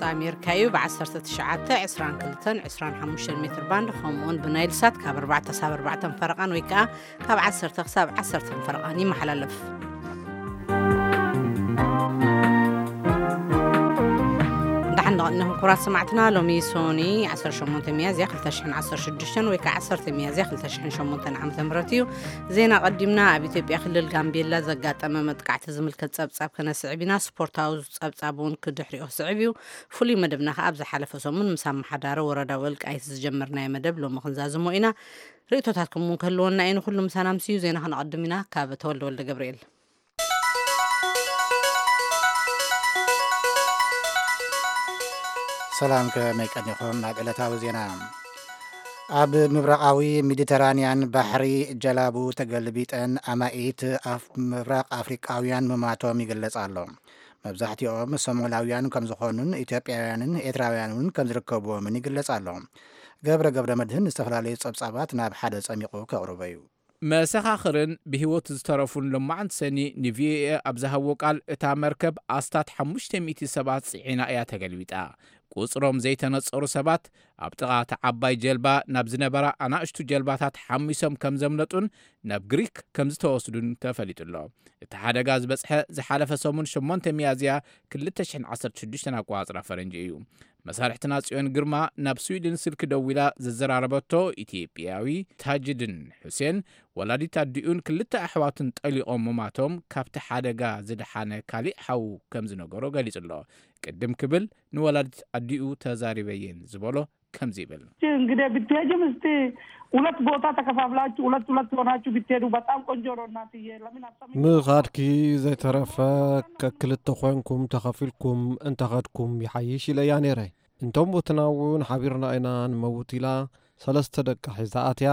ኣሜሪካ እዩ። ብ19፣ 22፣ 25 ሜትር ባንድ፣ ከምኡውን ብናይል ሳት ካብ ኣርባዕተ ክሳብ ኣርባዕተ ፈረቓን ወይ ከዓ ካብ ዓሰርተ ክሳብ ዓሰርተ ፈረቓን ይመሓላለፍ። ደሓን ንቕድነኹም ክቡራት ሰማዕትና። ሎሚ ሶኒ ዓሰርተ ሸሞንተ ሚያዝያ ክልተ ሽሕን ዓሰርተ ሽዱሽተን ወይ ከዓ ዓሰርተ ሚያዝያ ክልተ ሽሕን ሸሞንተን ዓመተ ምህረት እዩ። ዜና ቀዲምና። ኣብ ኢትዮጵያ ክልል ጋምቤላ ዘጋጠመ መጥቃዕቲ ዝምልከት ጸብጻብ ከነስዕብ ኢና። ስፖርታዊ ጸብጻብ እውን ክድሕሪኡ ክስዕብ እዩ። ፍሉይ መደብና ከኣ ኣብ ዝሓለፈ ሰሙን ምስ ኣመሓዳሪ ወረዳ ወልቃይት ዝጀመርናዮ መደብ ሎሚ ክንዛዝሞ ኢና። ርእይቶታትኩም እውን ክህልወና እዩ። ንኹሉ ምሳና ምስዩ ዜና ከነቐድም ኢና። ካብ ተወልደ ወልደ ገብርኤል። ሰላም፣ ከመይ ቀኒኹም? ናብ ዕለታዊ ዜና። ኣብ ምብራቓዊ ሜዲተራንያን ባሕሪ ጀላቡ ተገልቢጠን ኣማኢት ኣፍ-፣ ምብራቕ ኣፍሪቃውያን ምማቶም ይግለጽ ኣሎ። መብዛሕትኦም ሶማላውያን ከም ዝኾኑን ኢትዮጵያውያንን ኤርትራውያን እውን ከም ዝርከብዎምን ይግለጽ ኣሎ። ገብረ ገብረ መድህን ዝተፈላለዩ ጸብጻባት ናብ ሓደ ጸሚቑ ከቕርቦ እዩ። መሰኻኽርን ብህይወት ዝተረፉን ሎማዓንቲ ሰኒ ንቪኦኤ ኣብ ዝሃብዎ ቃል፣ እታ መርከብ ኣስታት ሓሙሽተ ሚእቲ ሰባት ጽዒና እያ ተገልቢጣ። ቁጽሮም ዘይተነጸሩ ሰባት ኣብ ጥቓ እታ ዓባይ ጀልባ ናብ ዝነበራ ኣናእሽቱ ጀልባታት ሓሚሶም ከም ዘምለጡን ናብ ግሪክ ከም ዝተወስዱን ተፈሊጡ ኣሎ። እቲ ሓደጋ ዝበጽሐ ዝሓለፈ ሰሙን ሸሞንተ ሚያዝያ ክልተ ሽሕን ዓሰርተ ሽዱሽተን ኣቆጻጽራ ፈረንጂ እዩ። መሳርሕትና ጽዮን ግርማ ናብ ስዊድን ስልኪ ደዊላ ዘዘራረበቶ ኢትዮጵያዊ ታጅድን ሑሴን፣ ወላዲት ኣዲኡን ክልተ ኣሕዋቱን ጠሊቖም ምማቶም ካብቲ ሓደጋ ዝደሓነ ካሊእ ሓዉ ከም ዝነገሮ ገሊጹ ኣሎ። ቅድም ክብል ንወላዲት ኣዲኡ ተዛሪበየን ዝበሎ ከምዚ ይብል። እንግዲህ ብትሄጂም እስቲ ሁለት ቦታ ተከፋፍላችሁ ሁለት ሁለት ሆናችሁ ብትሄዱ በጣም ቆንጆ ነው እናትዬ። ለምን አትሰሚም? ምኻድኪ ዘይተረፈ ከክልተ ኮንኩም ተኸፊልኩም እንተኸድኩም ይሓይሽ ኢለያ ነይረ። እንቶም ቡትና እውን ሓቢርና ኢና ንመውት ኢላ ሰለስተ ደቃ ሒዛ ኣትያ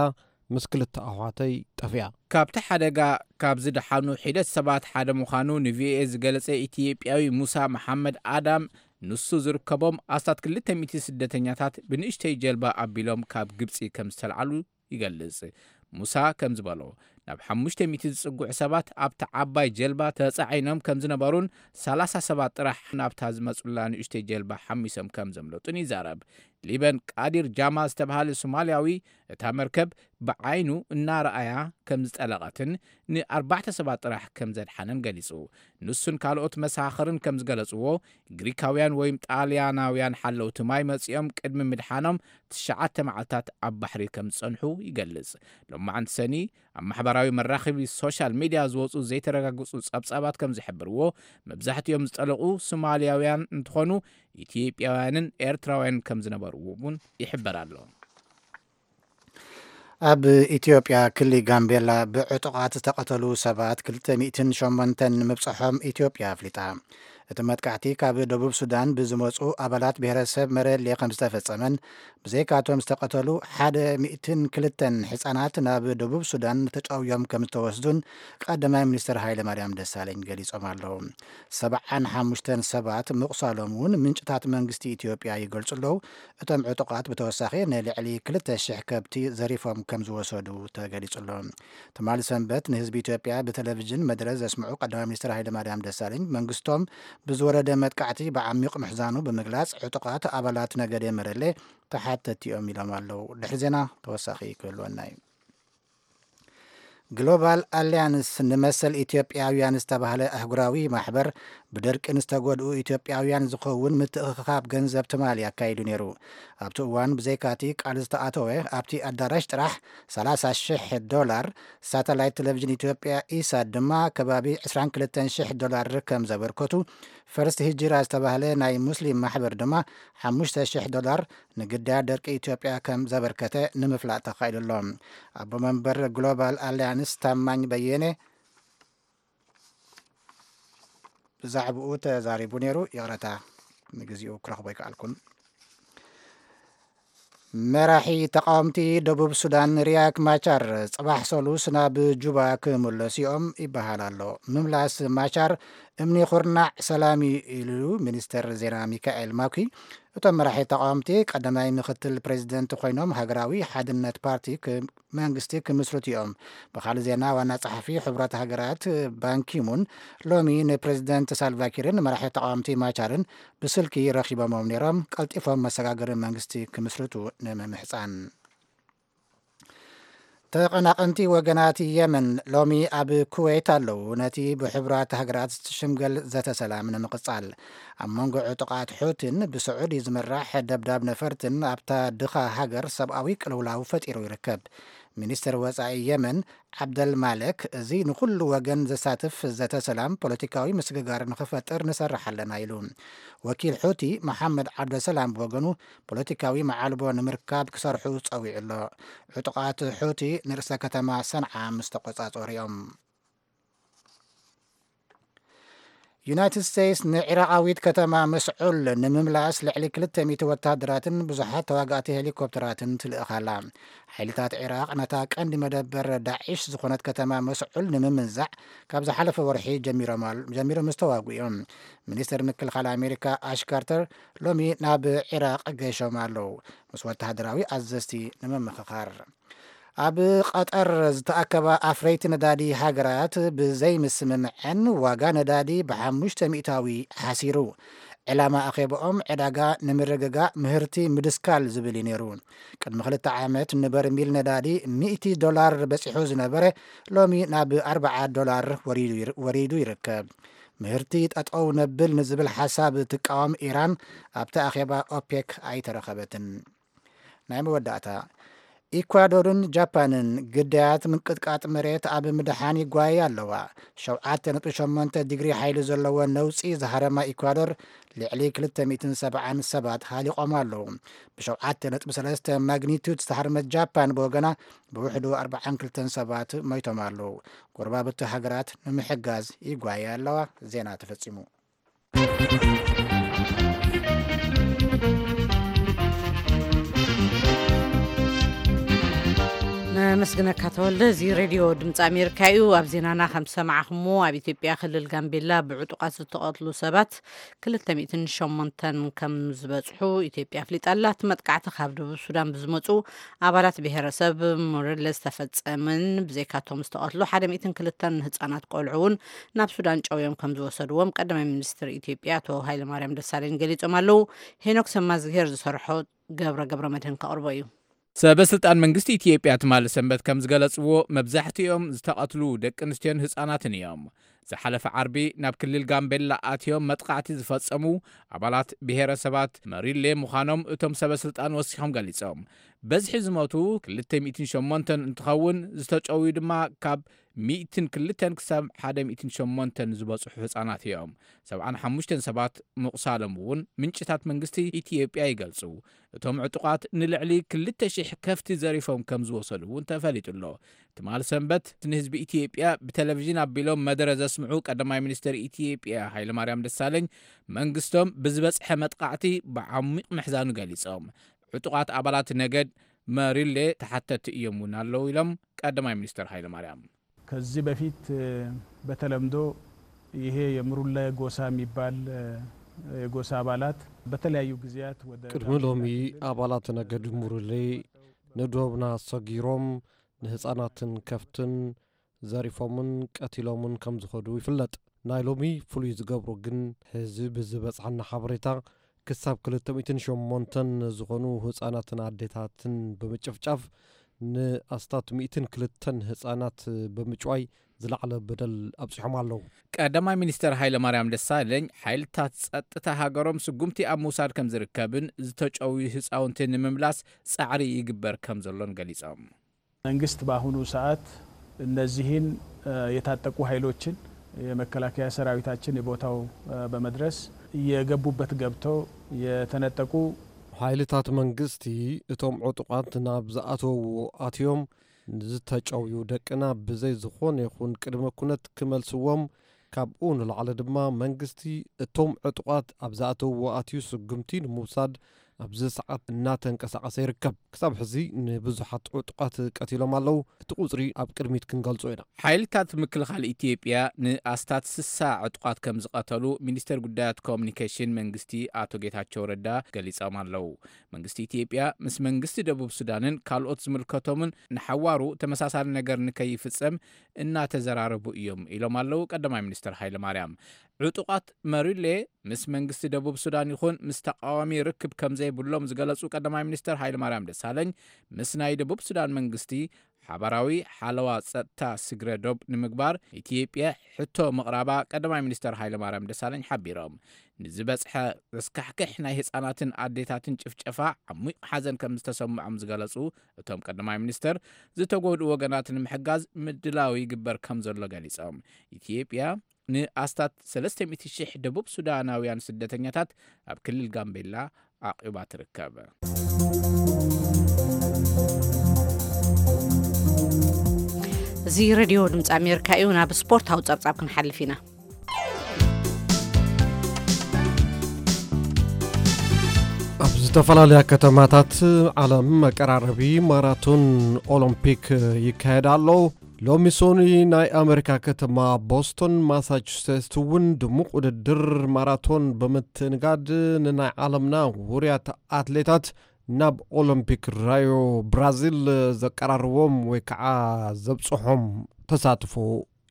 ምስ ክልተ ኣሕዋተይ ጠፊኣ። ካብቲ ሓደጋ ካብ ዝደሓኑ ሒደት ሰባት ሓደ ምዃኑ ንቪኦኤ ዝገለጸ ኢትዮጵያዊ ሙሳ መሓመድ ኣዳም፣ ንሱ ዝርከቦም ኣስታት ክልተ ሚእቲ ስደተኛታት ብንእሽተይ ጀልባ ኣቢሎም ካብ ግብጺ ከም ዝተልዓሉ ይገልጽ። ሙሳ ከም ዝበሎ፣ ናብ ሓሙሽተ ሚእቲ ዝጽግዑ ሰባት ኣብታ ዓባይ ጀልባ ተጻዒኖም ከም ዝነበሩን ሰላሳ ሰባት ጥራሕ ናብታ ዝመጹላ ንእሽተይ ጀልባ ሓሚሶም ከም ዘምለጡን ይዛረብ። ሊበን ቃዲር ጃማ ዝተባሃለ ሶማልያዊ፣ እታ መርከብ ብዓይኑ እናረኣያ ከም ዝጠለቐትን ንኣርባዕተ ሰባት ጥራሕ ከም ዘድሓነን ገሊጹ። ንሱን ካልኦት መሳኽርን ከም ዝገለጽዎ፣ ግሪካውያን ወይም ጣልያናውያን ሓለውቲ ማይ መጺኦም ቅድሚ ምድሓኖም ትሽዓተ መዓልታት ኣብ ባሕሪ ከም ዝጸንሑ ይገልጽ። ሎማዓንቲ ሰኒ ኣብ ማሕበራዊ መራኸቢ ሶሻል ሚድያ ዝወጹ ዘይተረጋገጹ ጸብጻባት ከም ዝሕብርዎ፣ መብዛሕትኦም ዝጠለቑ ሶማልያውያን እንትኾኑ፣ ኢትዮጵያውያንን ኤርትራውያንን ከም ዝነበርዎ እውን ይሕበር ኣሎ። ኣብ ኢትዮጵያ ክሊ ጋምቤላ ብዕጡቓት ዝተቐተሉ ሰባት ክልተ ሚእትን ሸሞንተን ንምብጽሖም ኢትዮጵያ ኣፍሊጣ። እቲ መጥቃዕቲ ካብ ደቡብ ሱዳን ብዝመጹ ኣባላት ብሄረሰብ መረሌ ከም ዝተፈጸመን፣ ብዘይካቶም ዝተቐተሉ ሓደ ሚእትን ክልተን ህጻናት ናብ ደቡብ ሱዳን ተጨውዮም ከም ዝተወስዱን ቀዳማይ ሚኒስትር ሃይለ ማርያም ደሳለኝ ገሊጾም ኣለዉ። ሰብዓን ሓሙሽተን ሰባት ምቑሳሎም እውን ምንጭታት መንግስቲ ኢትዮጵያ ይገልጹ ኣለዉ። እቶም ዕጡቓት ብተወሳኺ ንልዕሊ ክልተ ሽሕ ከብቲ ዘሪፎም ከም ዝወሰዱ ተገሊጹ ኣሎ። ትማሊ ሰንበት ንህዝቢ ኢትዮጵያ ብቴሌቪዥን መደረ ዘስምዑ ቀዳማይ ሚኒስትር ሃይለ ማርያም ደሳለኝ፣ መንግስቶም ብዝወረደ መጥቃዕቲ ብዓሚቕ ምሕዛኑ ብምግላጽ፣ ዕጡቓት ኣባላት ነገደ መረሌ ተሓተቲ እዮም ኢሎም ኣለዉ። ድሕሪ ዜና ተወሳኺ ክህልወና እዩ። ግሎባል ኣሊያንስ ንመሰል ኢትዮጵያውያን ዝተባህለ ኣህጉራዊ ማሕበር፣ ብደርቂ ንዝተጎድኡ ኢትዮጵያውያን ዝኸውን ምትእኽኻብ ገንዘብ ትማሊ ኣካይዱ ነይሩ። ኣብቲ እዋን ብዘይካቲ ቃል ዝተኣተወ ኣብቲ ኣዳራሽ ጥራሕ ሰላሳ ሽሕ ዶላር፣ ሳተላይት ቴሌቪዥን ኢትዮጵያ ኢሳት ድማ ከባቢ ዕስራን ክልተን ሽሕ ዶላር ከም ዘበርከቱ፣ ፈርስት ሂጅራ ዝተባህለ ናይ ሙስሊም ማሕበር ድማ ሓሙሽተ ሽሕ ዶላር ንግዳያት ደርቂ ኢትዮጵያ ከም ዘበርከተ ንምፍላጥ ተኻኢሉ ኣሎ። ኣቦ መንበር ግሎባል ኣሊያንስ ታማኝ በየነ ብዛዕባኡ ተዛሪቡ ነይሩ። ይቕረታ፣ ንግዚኡ ክረኽቦ ኣይከኣልኩን። መራሒ ተቃወምቲ ደቡብ ሱዳን ሪያክ ማቻር ጽባሕ ሰሉስ ናብ ጁባ ክምለሱ እዮም ይበሃል ኣሎ። ምምላስ ማቻር እምኒ ኩርናዕ ሰላም እዩ ኢሉ ሚኒስተር ዜና ሚካኤል ማኩ። እቶም መራሒ ተቃወምቲ ቀዳማይ ምክትል ፕሬዚደንት ኮይኖም ሃገራዊ ሓድነት ፓርቲ ክ-፣ መንግስቲ ክምስርቱ እዮም። ብካልእ ዜና ዋና ጸሓፊ ሕቡራት ሃገራት ባንኪሙን ሎሚ ንፕሬዚደንት ሳልቫኪርን መራሒ ተቃወምቲ ማቻርን ብስልኪ ረኺቦሞም ነይሮም። ቀልጢፎም መሰጋገሪ መንግስቲ ክምስርቱ ንምምሕጻን። ተቐናቐንቲ ወገናት የመን ሎሚ ኣብ ኩዌት ኣለዉ። ነቲ ብሕቡራት ሃገራት ዝሽምገል ዘተ ሰላም ንምቕጻል፣ ኣብ መንጎ ዕጡቓት ሑቲን ብስዑዲ ዝምራሕ ደብዳብ ነፈርትን ኣብታ ድኻ ሃገር ሰብኣዊ ቅልውላው ፈጢሩ ይርከብ። ሚኒስትር ወጻኢ የመን ዓብደል ማለክ፣ እዚ ንኹሉ ወገን ዘሳትፍ ዘተ ሰላም ፖለቲካዊ ምስግጋር ንኽፈጥር ንሰርሕ ኣለና ኢሉ። ወኪል ሑቲ መሓመድ ዓብደሰላም ብወገኑ፣ ፖለቲካዊ መዓልቦ ንምርካብ ክሰርሑ ጸዊዑ ኣሎ። ዕጡቓት ሑቲ ንርእሰ ከተማ ሰንዓ ምስ ተቖጻጸሩ እዮም። ዩናይትድ ስቴትስ ንዒራቓዊት ከተማ መስዑል ንምምላስ ልዕሊ ክልተ ሚእቲ ወታደራትን ብዙሓት ተዋጋእቲ ሄሊኮፕተራትን ትልእኽ ኣላ። ሓይልታት ዒራቕ ነታ ቀንዲ መደበር ዳዒሽ ዝኾነት ከተማ መስዑል ንምምንዛዕ ካብ ዝሓለፈ ወርሒ ጀሚሮም ኣል-፣ ጀሚሮም ዝተዋግኡ እዮም። ሚኒስትር ምክልኻል ኣሜሪካ ኣሽ ካርተር ሎሚ ናብ ዒራቕ ገይሾም ኣለዉ፣ ምስ ወተሃደራዊ ኣዘዝቲ ንምምኽኻር። ኣብ ቀጠር ዝተኣከባ ኣፍረይቲ ነዳዲ ሃገራት ብዘይምስምምዐን ዋጋ ነዳዲ ብሓሙሽተ ሚእታዊ ሓሲሩ። ዕላማ ኣኼባኦም ዕዳጋ ንምርግጋእ ምህርቲ ምድስካል ዝብል እዩ ነይሩ። ቅድሚ ክልተ ዓመት ንበርሚል ነዳዲ ሚእቲ ዶላር በጺሑ ዝነበረ ሎሚ ናብ ኣርብዓ ዶላር ወሪዱ ይር-፣ ወሪዱ ይርከብ። ምህርቲ ጠጠው ነብል ንዝብል ሓሳብ ትቃወም ኢራን ኣብቲ ኣኼባ ኦፔክ ኣይተረኸበትን። ናይ መወዳእታ፣ ኢኳዶርን ጃፓንን ግዳያት ምንቅጥቃጥ መሬት ኣብ ምድሓን ይጓየ ኣለዋ። ሸውዓተ ነጥቢ ሸሞንተ ዲግሪ ሓይሊ ዘለዎ ነውጺ ዝሃረማ ኢኳዶር ልዕሊ ክልተ ሚእትን ሰብዓን ሰባት ሃሊቖም ኣለዉ። ብሸውዓተ ነጥቢ ሰለስተ ማግኒቱድ ዝተሃርመት ጃፓን ብወገና ብውሕዱ ኣርብዓን ክልተን ሰባት ሞይቶም ኣለዉ። ጎረባብቲ ሃገራት ንምሕጋዝ ይጓየ ኣለዋ። ዜና ተፈጺሙ። ነመስግነካ ተወልደ። እዚ ሬድዮ ድምፂ ኣሜሪካ እዩ። ኣብ ዜናና ከም ዝሰማዕኹሞ ኣብ ኢትዮጵያ ክልል ጋምቤላ ብዕጡቃት ዝተቐትሉ ሰባት ክልተ ሚእትን ሸሞንተን ከም ዝበፅሑ ኢትዮጵያ ኣፍሊጣ ኣላ። እቲ መጥቃዕቲ ካብ ደቡብ ሱዳን ብዝመፁ ኣባላት ብሄረሰብ ሙርለ ዝተፈፀመን ብዘይካቶም ዝተቐትሉ ሓደ ሚእትን ክልተን ህፃናት ቆልዑ እውን ናብ ሱዳን ጨውዮም ከም ዝወሰድዎም ቀዳማይ ሚኒስትር ኢትዮጵያ ኣቶ ሃይለማርያም ደሳለኝ ገሊጾም ኣለዉ። ሄኖክ ሰማዝግሄር ዝሰርሖ ገብረ ገብረ መድህን ከቕርቦ እዩ። ሰበ ስልጣን መንግስቲ ኢትዮጵያ ትማሊ ሰንበት ከም ዝገለጽዎ፣ መብዛሕትኦም ዝተቐትሉ ደቂ ኣንስትዮን ህጻናትን እዮም። ዝሓለፈ ዓርቢ ናብ ክልል ጋምቤላ ኣትዮም መጥቃዕቲ ዝፈጸሙ ኣባላት ብሄረሰባት መሪሌ ምዃኖም እቶም ሰበ ስልጣን ወሲኾም ገሊጾም። በዝሒ ዝሞቱ ክልተ ሚእትን ሸሞንተን እንትኸውን፣ ዝተጨውዩ ድማ ካብ ሚእትን ክልተን ክሳብ ሓደ ሚእትን ሸሞንተን ዝበጽሑ ህጻናት እዮም። ሰብዓን ሓሙሽተን ሰባት ምቑሳሎም እውን ምንጭታት መንግስቲ ኢትዮጵያ ይገልጹ። እቶም ዕጡቓት ንልዕሊ ክልተ ሽሕ ከፍቲ ዘሪፎም ከም ዝወሰዱ እውን ተፈሊጡ ኣሎ። ትማል ሰንበት ንህዝቢ ኢትዮጵያ ብቴሌቪዥን ኣቢሎም መደረ ዘስምዑ ቀዳማይ ሚኒስትር ኢትዮጵያ ሃይለማርያም ደሳለኝ፣ መንግስቶም ብዝበጽሐ መጥቃዕቲ ብዓሚቕ ምሕዛኑ ገሊጾም። ዕጡቓት ኣባላት ነገድ መሪሌ ተሓተቲ እዮም እውን ኣለዉ ኢሎም ቀዳማይ ሚኒስትር ሃይለማርያም። ከዚህ በፊት በተለምዶ ይሄ የምሩለ ጎሳ የሚባል የጎሳ አባላት በተለያዩ ጊዜያት ወደ ቅድሚ ሎሚ አባላት ነገድ ሙርሌ ንዶብና ሰጊሮም ንህፃናትን ከፍትን ዘሪፎምን ቀቲሎምን ከም ዝኸዱ ይፍለጥ። ናይ ሎሚ ፍሉይ ዝገብሮ ግን፣ ሕዚ ብዝበጽሓና ሓበሬታ፣ ክሳብ ክልተ ሚእትን ሸሞንተን ዝኾኑ ህጻናትን ኣዴታትን ብምጭፍጫፍ፣ ንኣስታት ሚእትን ክልተን ህጻናት ብምጭዋይ ዝለዓለ በደል ኣብጺሖም ኣለዉ። ቀዳማይ ሚኒስትር ሃይለማርያም ደሳለኝ፣ ሓይልታት ጸጥታ ሃገሮም ስጉምቲ ኣብ ምውሳድ ከም ዝርከብን ዝተጨውዩ ህጻውንቲ ንምምላስ ጻዕሪ ይግበር ከም ዘሎን ገሊጾም። መንግስት በአሁኑ ሰዓት እነዚህን የታጠቁ ኃይሎችን፣ የመከላከያ ሰራዊታችን የቦታው በመድረስ የገቡበት ገብተው የተነጠቁ ሓይልታት መንግስቲ እቶም ዕጡቓት ናብ ዝኣተውዎ ኣትዮም ንዝተጨውዩ ደቅና ብዘይ ዝኾነ ይኹን ቅድመ ኩነት ክመልስዎም፣ ካብኡ ንላዕሊ ድማ መንግስቲ እቶም ዕጡቓት ኣብ ዝኣተውዎ ኣትዩ ስጉምቲ ንምውሳድ ኣብዚ ሰዓት እናተንቀሳቐሰ ይርከብ። ክሳብ ሕዚ ንብዙሓት ዕጡቓት ቀቲሎም ኣለዉ። እቲ ቁጽሪ ኣብ ቅድሚት ክንገልጾ ኢና። ሓይልታት ምክልኻል ኢትዮጵያ ንኣስታት ስሳ ዕጡቓት ከም ዝቐተሉ ሚኒስተር ጉዳያት ኮሙኒኬሽን መንግስቲ ኣቶ ጌታቸው ረዳ ገሊጾም ኣለዉ። መንግስቲ ኢትዮጵያ ምስ መንግስቲ ደቡብ ሱዳንን ካልኦት ዝምልከቶምን ንሓዋሩ ተመሳሳሊ ነገር ንከይፍጸም እናተዘራረቡ እዮም ኢሎም ኣለዉ ቀዳማይ ሚኒስተር ሃይለ ማርያም። ዕጡቓት መሪሌ ምስ መንግስቲ ደቡብ ሱዳን ይኹን ምስ ተቃዋሚ ርክብ ከም ዘይብሎም ዝገለጹ ቀዳማይ ሚኒስተር ሃይለ ማርያም ደሳለኝ፣ ምስ ናይ ደቡብ ሱዳን መንግስቲ ሓባራዊ ሓለዋ ጸጥታ ስግረ ዶብ ንምግባር ኢትዮጵያ ሕቶ ምቕራባ ቀዳማይ ሚኒስተር ሃይለ ማርያም ደሳለኝ ሓቢሮም። ንዝበጽሐ ዘስካሕክሕ ናይ ህጻናትን ኣዴታትን ጭፍጨፋ ዓሚቕ ሓዘን ከም ዝተሰምዖም ዝገለጹ እቶም ቀዳማይ ሚኒስተር፣ ዝተጎድኡ ወገናት ንምሕጋዝ ምድላው ይግበር ከም ዘሎ ገሊጾም። ኢትዮጵያ ንኣስታት ሰለስተ ሚእቲ ሺሕ ደቡብ ሱዳናውያን ስደተኛታት ኣብ ክልል ጋምቤላ ኣዕቂባ ትርከብ። እዚ ሬድዮ ድምፂ ኣሜሪካ እዩ። ናብ ስፖርታዊ ጸብጻብ ክንሓልፍ ኢና። ኣብ ዝተፈላለያ ከተማታት ዓለም መቀራረቢ ማራቶን ኦሎምፒክ ይካየድ ኣሎ። ሎሚ ሶኒ ናይ ኣሜሪካ ከተማ ቦስቶን ማሳቹሴትስ እውን ድሙቕ ውድድር ማራቶን ብምትእንጋድ ንናይ ዓለምና ውሩያት ኣትሌታት ናብ ኦሎምፒክ ራዮ ብራዚል ዘቀራርቦም ወይ ከዓ ዘብፅሖም ተሳትፎ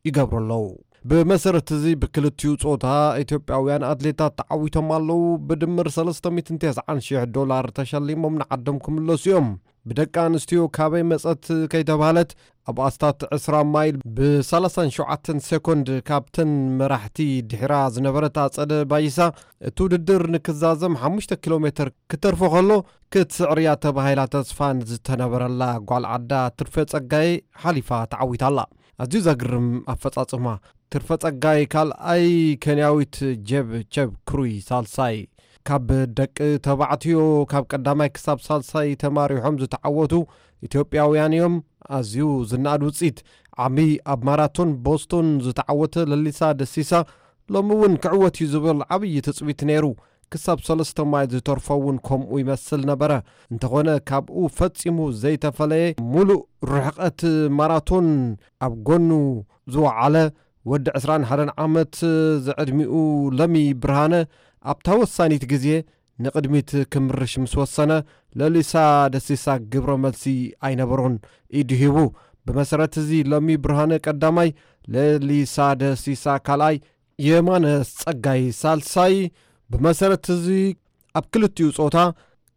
ይገብሩ ኣለዉ። ብመሰረት እዚ ብክልቲኡ ጾታ ኢትዮጵያውያን ኣትሌታት ተዓዊቶም ኣለዉ። ብድምር ሰለስተ ሚእትን ተስዓን ሽሕ ዶላር ተሸሊሞም ንዓዶም ክምለሱ እዮም። ብደቂ ኣንስትዮ ካበይ መጸት ከይተባህለት ኣብ ኣስታት ዕስራ ማይል ብ ሰላሳን ሸውዓተን ሴኮንድ ካብተን መራሕቲ ድሕራ ዝነበረት ኣጸደ ባይሳ እቲ ውድድር ንክዛዘም ሓሙሽተ ኪሎ ሜትር ክተርፎ ከሎ ክትስዕር እያ ተባሂላ ተስፋ ንዝተነበረላ ጓል ዓዳ ትርፌ ጸጋይ ሓሊፋ ተዓዊታ ኣላ። ኣዝዩ ዘግርም ኣፈጻጽማ። ትርፈ ጸጋይ ካልኣይ፣ ኬንያዊት ጄብ ቼብ ክሩይ ሳልሳይ። ካብ ደቂ ተባዕትዮ ካብ ቀዳማይ ክሳብ ሳልሳይ ተማሪሖም ዝተዓወቱ ኢትዮጵያውያን እዮም። ኣዝዩ ዝነኣድ ውጽኢት። ዓሚ ኣብ ማራቶን ቦስቶን ዝተዓወተ ለሊሳ ደሲሳ ሎሚ እውን ክዕወት እዩ ዝብል ዓብዪ ትጽቢት ነይሩ። ክሳብ ሰለስተ ማይል ዝተርፎ እውን ከምኡ ይመስል ነበረ። እንተኾነ ካብኡ ፈጺሙ ዘይተፈለየ፣ ሙሉእ ርሕቐት ማራቶን ኣብ ጎኑ ዝወዓለ ወዲ ዕስራን ሓደን ዓመት ዝዕድሚኡ ለሚ ብርሃነ ኣብታ ወሳኒት ግዜ ንቕድሚት ክምርሽ ምስ ወሰነ፣ ለሊሳ ደሲሳ ግብረ መልሲ ኣይነበሮን፣ ኢዱ ሂቡ። ብመሰረት እዚ ለሚ ብርሃነ ቀዳማይ፣ ለሊሳ ደሲሳ ካልኣይ፣ የማነ ጸጋይ ሳልሳይ። ብመሰረት እዚ ኣብ ክልቲኡ ጾታ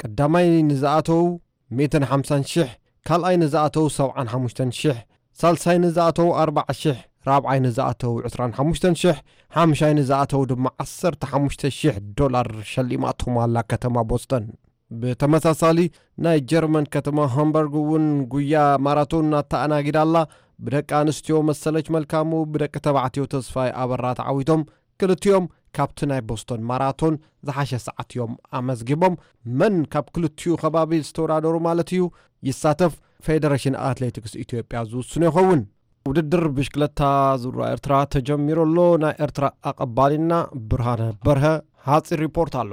ቀዳማይ ንዝኣተው ሚእትን ሓምሳን ሽሕ፣ ካልኣይ ንዝኣተው ሰብዓን ሓሙሽተን ሽሕ፣ ሳልሳይ ንዝኣተው ኣርባዓ ሽሕ፣ ራብዓይ ንዝኣተው ዕስራን ሓሙሽተን ሽሕ፣ ሓምሻይ ንዝኣተው ድማ ዓሰርተ ሓሙሽተ ሽሕ ዶላር ሸሊማቶም ኣላ ከተማ ቦስተን። ብተመሳሳሊ ናይ ጀርመን ከተማ ሃምበርግ እውን ጉያ ማራቶን ኣተኣናጊዳ ኣላ። ብደቂ ኣንስትዮ መሰለች መልካሙ፣ ብደቂ ተባዕትዮ ተስፋይ ኣበራ ተዓዊቶም። ክልቲኦም ካብቲ ናይ ቦስቶን ማራቶን ዝሓሸ ሰዓት እዮም ኣመዝጊቦም። መን ካብ ክልቲኡ ከባቢ ዝተወዳደሩ ማለት እዩ ይሳተፍ፣ ፌደሬሽን ኣትሌቲክስ ኢትዮጵያ ዝውስኖ ይኸውን። ውድድር ብሽክለታ ዙራ ኤርትራ ተጀሚሩ ኣሎ። ናይ ኤርትራ ኣቐባሊና ብርሃነ በርሀ ሓፂር ሪፖርት ኣሎ።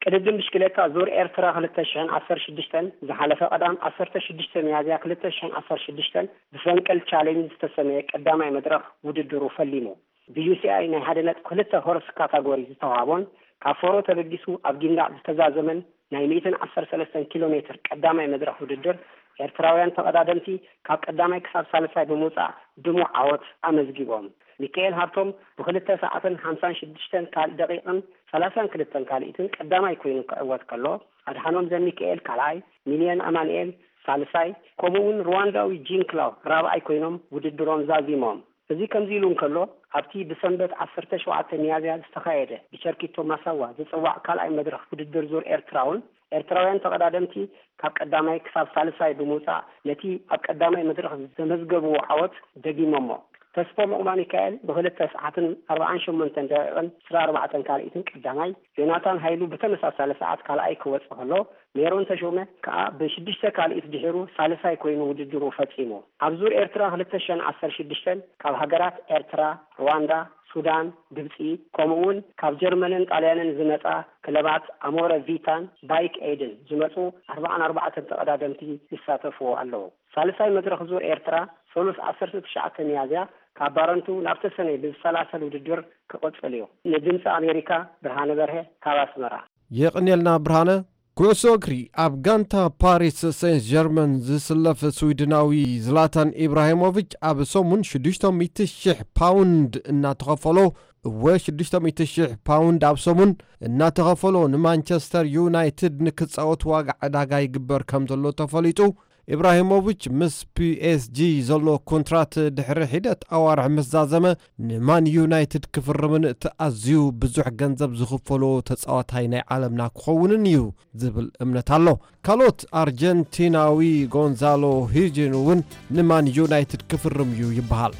ቅድድም ብሽክሌታ ዙር ኤርትራ ክልተ ሽሕን ዓሰርተ ሽዱሽተን ዝሓለፈ ቀዳም ዓሰርተ ሽዱሽተ ሚያዝያ ክልተ ሽሕን ዓሰርተ ሽዱሽተን ብፈንቅል ቻሌንጅ ዝተሰመየ ቀዳማይ መድረኽ ውድድሩ ፈሊሙ። ብዩሲኣይ ናይ ሓደ ነጥቢ ክልተ ሆርስ ካታጎሪ ዝተዋህቦን ካብ ፎሮ ተበጊሱ ኣብ ጊንዳዕ ዝተዛዘመን ናይ ሚእትን ዓሰርተ ሰለስተን ኪሎ ሜትር ቀዳማይ መድረኽ ውድድር ኤርትራውያን ተቐዳደምቲ ካብ ቀዳማይ ክሳብ ሳልሳይ ብምውጻእ ድሙቕ ዓወት ኣመዝጊቦም። ሚካኤል ሃብቶም ብክልተ ሰዓትን ሓምሳን ሽዱሽተን ካል-፣ ደቂቕን ሰላሳን ክልተን ካልኢትን ቀዳማይ ኮይኑ ክዕወት ከሎ፣ ኣድሓኖም ዘሚካኤል ካልኣይ፣ ሚልዮን ኣማኑኤል ሳልሳይ፣ ከምኡ'ውን ሩዋንዳዊ ጂን ክላው ራብዓይ ኮይኖም ውድድሮም ዛዚሞም። እዚ ከምዚ ኢሉ እንከሎ፣ ኣብቲ ብሰንበት ዓሰርተ ሸውዓተ ሚያዝያ ዝተኻየደ ብቸርኪቶ ማሳዋ ዝጽዋዕ ካልኣይ መድረኽ ውድድር ዙር ኤርትራውን ኤርትራውያን ተቐዳደምቲ ካብ ቀዳማይ ክሳብ ሳልሳይ ብምውጻእ ነቲ ኣብ ቀዳማይ መድረኽ ዘመዝገብዎ ዓወት ደጊሞሞ። ተስፎም ዑቕባሚካኤል ብክልተ ሰዓትን ኣርባዓን ሸሞንተን ደቂቕን ዕስራን ኣርባዕተን ካልኢትን ቀዳማይ፣ ዮናታን ሃይሉ ብተመሳሳሊ ሰዓት ካልኣይ ክወጽእ ከሎ፣ ሜሮን ተሾመ ከኣ ብሽዱሽተ ካልኢት ድሒሩ ሳልሳይ ኮይኑ ውድድሩ ፈጺሙ። ኣብ ዙር ኤርትራ ክልተ ሽሕን ዓሰርተ ሽዱሽተን ካብ ሃገራት ኤርትራ፣ ሩዋንዳ፣ ሱዳን፣ ግብጺ፣ ከምኡ እውን ካብ ጀርመንን ጣልያንን ዝመጻ ክለባት ኣሞረ ቪታን ባይክ ኤድን ዝመጹ ኣርባዓን ኣርባዕተን ተቐዳደምቲ ይሳተፍዎ ኣለዉ። ሳልሳይ መድረኽ ዙር ኤርትራ ሰሉስ ዓሰርተ ትሽዓተ ሚያዝያ ካብ ባረንቱ ናብ ተሰነይ ብዝሰላሰል ውድድር ክቕጽል እዩ። ንድምፂ ኣሜሪካ ብርሃነ በርሀ ካብ ኣስመራ። የቕንየልና ብርሃነ። ኩዕሶ እግሪ። ኣብ ጋንታ ፓሪስ ሴንት ጀርመን ዝስለፍ ስዊድናዊ ዝላታን ኢብራሂሞቪች ኣብ ሰሙን ሽዱሽተ ሚእቲ ሺሕ ፓውንድ እናተኸፈሎ፣ እወ፣ ሽዱሽተ ሚእቲ ሺሕ ፓውንድ ኣብ ሰሙን እናተኸፈሎ ንማንቸስተር ዩናይትድ ንክጻወት ዋጋ ዕዳጋ ይግበር ከም ዘሎ ተፈሊጡ። ኢብራሂሞቪች ምስ ፒኤስጂ ዘሎ ኮንትራት ድሕሪ ሒደት ኣዋርሕ ምስ ዛዘመ፣ ንማን ዩናይትድ ክፍርምን እቲ ኣዝዩ ብዙሕ ገንዘብ ዝኽፈሎ ተጻዋታይ ናይ ዓለምና ክኸውንን እዩ ዝብል እምነት ኣሎ። ካልኦት ኣርጀንቲናዊ ጎንዛሎ ሂጂን እውን ንማን ዩናይትድ ክፍርም እዩ ይበሃል።